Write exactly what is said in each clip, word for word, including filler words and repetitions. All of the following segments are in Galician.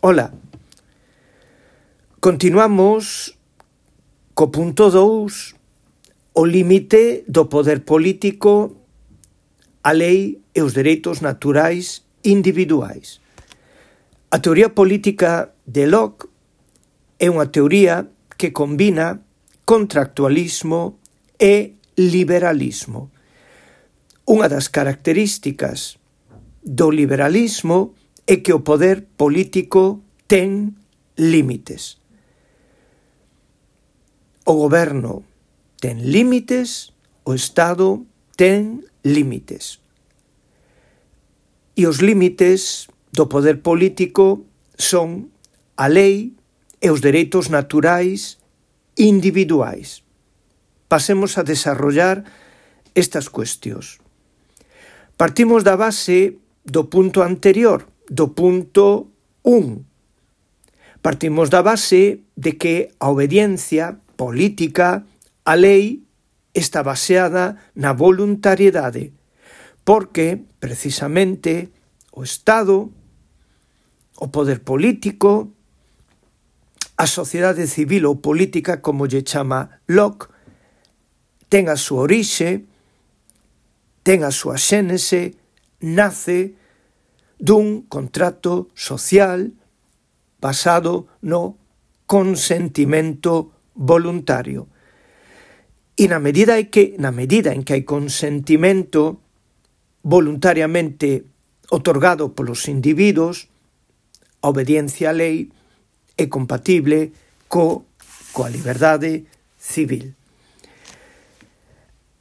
Ola, continuamos co punto dous, o límite do poder político, a lei e os dereitos naturais individuais. A teoría política de Locke é unha teoría que combina contractualismo e liberalismo. Unha das características do liberalismo é que o poder político ten límites. O goberno ten límites, o Estado ten límites. E os límites do poder político son a lei e os dereitos naturais individuais. Pasemos a desarrollar estas cuestións. Partimos da base do punto anterior, do punto un. Partimos da base de que a obediencia política, a lei, está baseada na voluntariedade, porque, precisamente, o Estado, o poder político, a sociedade civil ou política, como lle chama Locke, ten a súa orixe, ten a súa xénese, nace dun contrato social basado no consentimento voluntario. E na medida en que, na medida en que hai consentimento voluntariamente otorgado polos individuos, a obediencia á lei é compatible co, coa liberdade civil.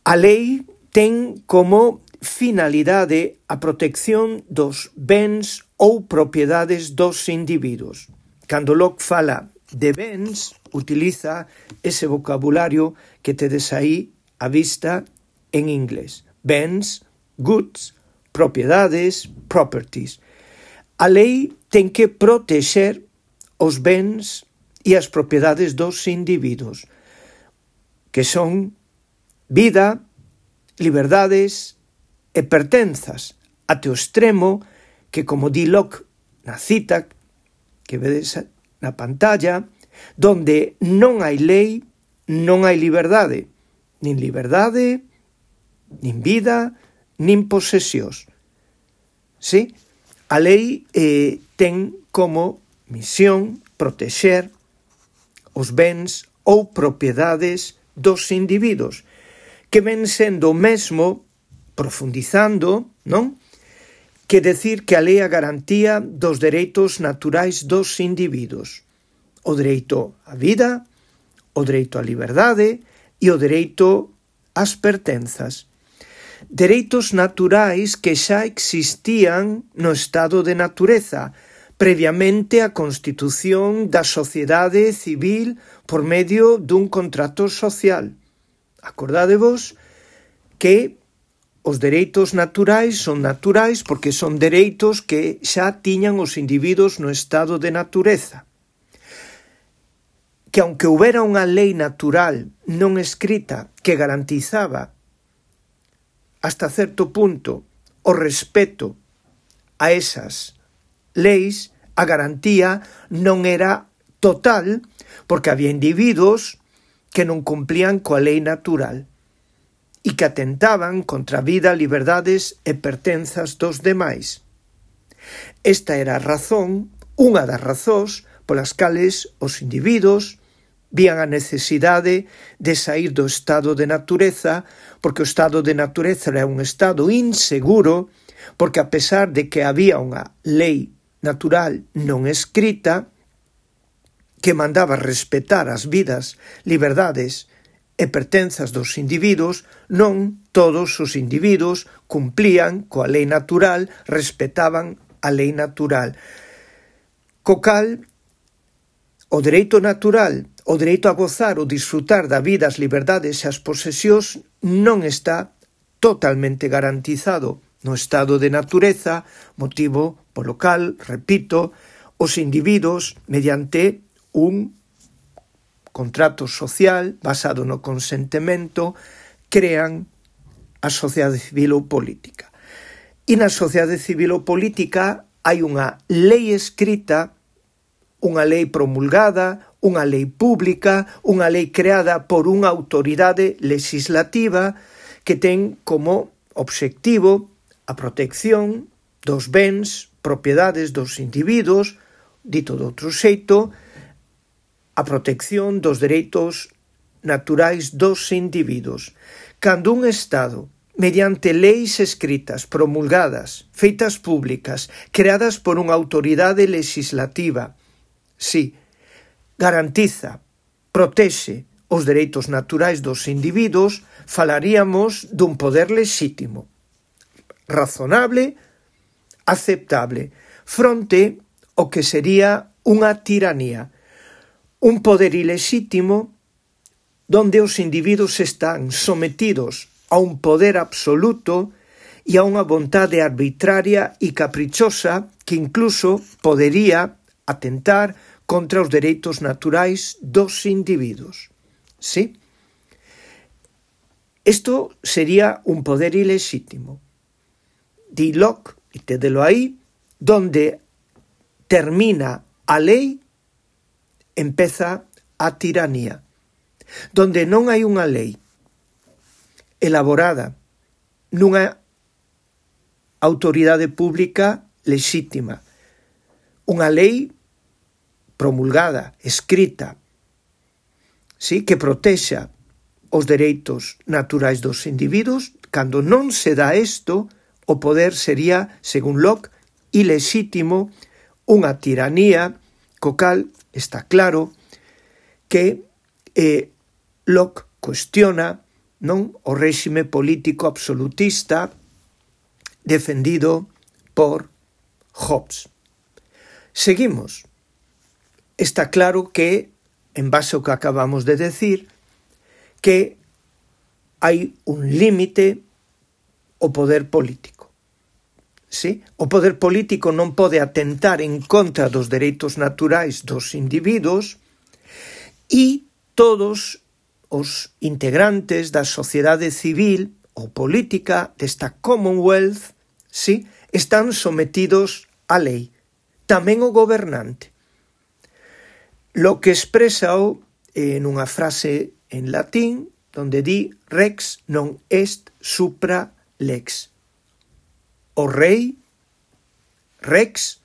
A lei ten como finalidade a protección dos bens ou propiedades dos individuos. Cando Locke fala de bens, utiliza ese vocabulario que tedes aí á vista en inglés. Bens, goods, propiedades, properties. A lei ten que protexer os bens e as propiedades dos individuos, que son vida, liberdades e pertenzas, até o extremo que, como di Locke na cita que vedes na pantalla, donde non hai lei, non hai liberdade, nin liberdade, nin vida, nin posesións. Sí? A lei eh, ten como misión protexer os bens ou propiedades dos individuos, que ven sendo o mesmo, profundizando, non? Que decir que a lei a garantía dos dereitos naturais dos individuos. O dereito á vida, o dereito á liberdade e o dereito ás pertenzas. Dereitos naturais que xa existían no estado de natureza, previamente á constitución da sociedade civil por medio dun contrato social. Acordádevos que os dereitos naturais son naturais porque son dereitos que xa tiñan os individuos no estado de natureza. Que aunque houbera unha lei natural non escrita que garantizaba hasta certo punto o respeto a esas leis, a garantía non era total porque había individuos que non cumplían coa lei natural e que atentaban contra a vida, liberdades e pertenzas dos demais. Esta era a razón, unha das razóns polas cales os individuos vían a necesidade de sair do estado de natureza, porque o estado de natureza era un estado inseguro, porque a pesar de que había unha lei natural non escrita que mandaba respetar as vidas, liberdades e pertenzas dos individuos, non todos os individuos cumplían coa lei natural, respetaban a lei natural. Co cal, o dereito natural, o dereito a gozar ou disfrutar da vida, as liberdades e as posesións non está totalmente garantizado no estado de natureza, motivo polo cal, repito, os individuos, mediante un contrato social basado no consentimento, crean a sociedade civil ou política. E na sociedade civil ou política hai unha lei escrita unha lei promulgada, unha lei pública, unha lei creada por unha autoridade legislativa que ten como obxectivo a protección dos bens, propiedades dos individuos, dito de outro xeito, a protección dos dereitos naturais dos individuos. Cando un Estado, mediante leis escritas, promulgadas, feitas públicas, creadas por unha autoridade legislativa, si, garantiza, protexe os dereitos naturais dos individuos, falaríamos dun poder lexítimo, razonable, aceptable, fronte ao que sería unha tiranía, un poder ilexítimo donde os individuos están sometidos a un poder absoluto e a unha vontade arbitraria e caprichosa que incluso podería atentar contra os dereitos naturais dos individuos. ¿Sí? Isto sería un poder ilexítimo. Di Locke, e tédelo aí, donde termina a lei, empeza a tiranía. Donde non hai unha lei elaborada nunha autoridade pública lexítima, unha lei promulgada, escrita, sí, que protexa os dereitos naturais dos individuos, cando non se dá isto, o poder sería, según Locke, ilexítimo, unha tiranía, co cal está claro que eh, Locke cuestiona non o réxime político absolutista defendido por Hobbes. Seguimos. Está claro que, en base ao que acabamos de decir, que hai un límite ao poder político. ¿Sí? O poder político non pode atentar en contra dos dereitos naturais dos individuos e todos os integrantes da sociedade civil ou política desta Commonwealth, ¿sí?, están sometidos á lei, tamén o gobernante. Lo que expresa en unha frase en latín, donde di rex non est supra lex. O rei, rex,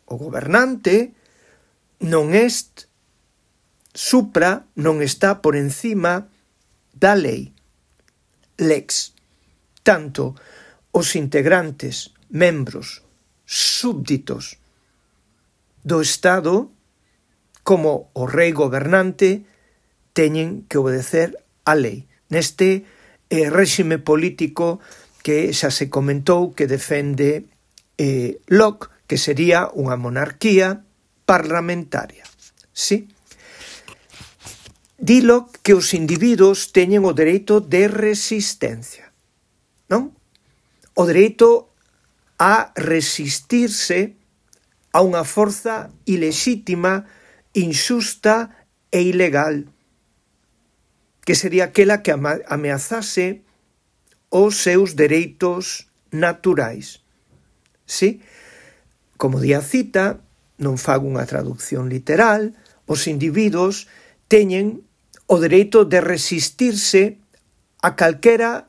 o gobernante, non est supra, non está por encima da lei. Lex. Tanto os integrantes, membros, súbditos do Estado, como o rei gobernante, teñen que obedecer a lei. Neste eh, réxime político que xa se comentou que defende eh, Locke, que sería unha monarquía parlamentaria. Sí? Di Locke que os individuos teñen o dereito de resistencia, non? O dereito a resistirse a unha forza ilexítima, inxusta e ilegal, que sería aquela que ameazase os seus dereitos naturais. Sí? Como di a cita, non fago unha traducción literal, os individuos teñen o dereito de resistirse a calquera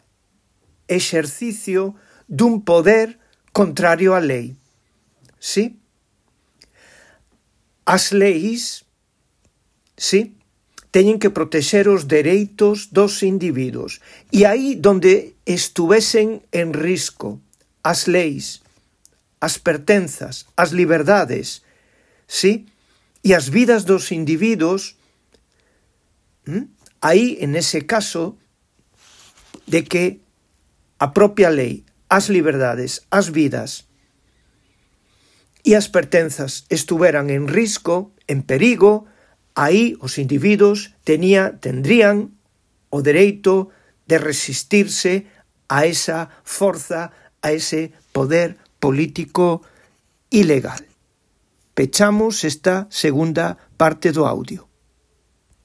exercicio dun poder contrario á lei. Sí? As leis, sí, teñen que protexer os dereitos dos individuos. E aí donde estuvesen en risco as leis, as pertenzas, as liberdades, sí, e as vidas dos individuos, ¿Mm? Aí, en ese caso, de que a propia lei, as liberdades, as vidas e as pertenzas estuveran en risco, en perigo, aí os individuos tenía, tendrían o dereito de resistirse a esa forza, a ese poder político ilegal. Pechamos esta segunda parte do audio.